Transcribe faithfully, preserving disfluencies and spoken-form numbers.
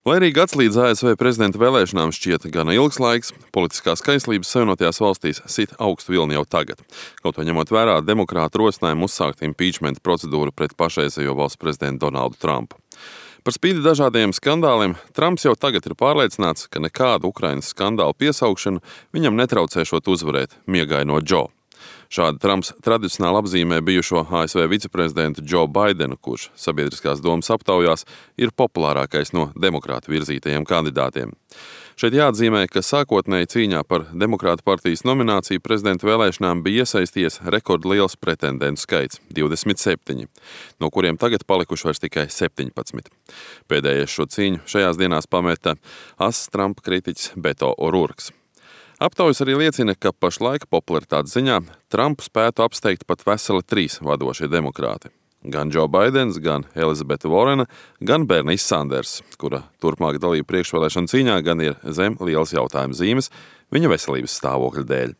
Lai arī gads līdz A S V prezidenta vēlēšanām šķiet gana ilgs laiks, politiskās kaislības Savienotajās valstīs sit augstu vilni jau tagad. Kaut vai ņemot vērā demokrātu rosinājumu uzsākt impeachment procedūru pret pašreizējo valsts prezidentu Donaldu Trumpu. Par spīti dažādiem skandāliem, Trumps jau tagad ir pārliecināts, ka nekādu Ukrainas skandālu piesaukšanu viņam netraucēšot uzvarēt miegaino Džo. Šādi Trumps tradicionāli apzīmē bijušo A S V viceprezidentu Džo Baidenu, kurš sabiedriskās domas aptaujās ir populārākais no demokrātu virzītajiem kandidātiem. Šeit jāatzīmē, ka sākotnēji cīņā par demokrātu partijas nomināciju prezidenta vēlēšanām bija iesaisties rekordliels pretendentu skaits – divdesmit septiņi, no kuriem tagad palikuši vairs tikai septiņpadsmit. Pēdējais šo cīņu šajās dienās pameta ass Trumpa kritiķis Beto O'Rourkes. Aptaujas arī liecina, ka pašlaik popularitātes ziņā Trumpu spētu apsteigt pat veseli trīs vadošie demokrāti. Gan Džo Baidens, gan Elizabete Vorena, gan Bernijs Sanders, kura turpmāk dalība priekšvēlēšana cīņā gan ir zem lielas jautājuma zīmes viņa veselības stāvokļa dēļ.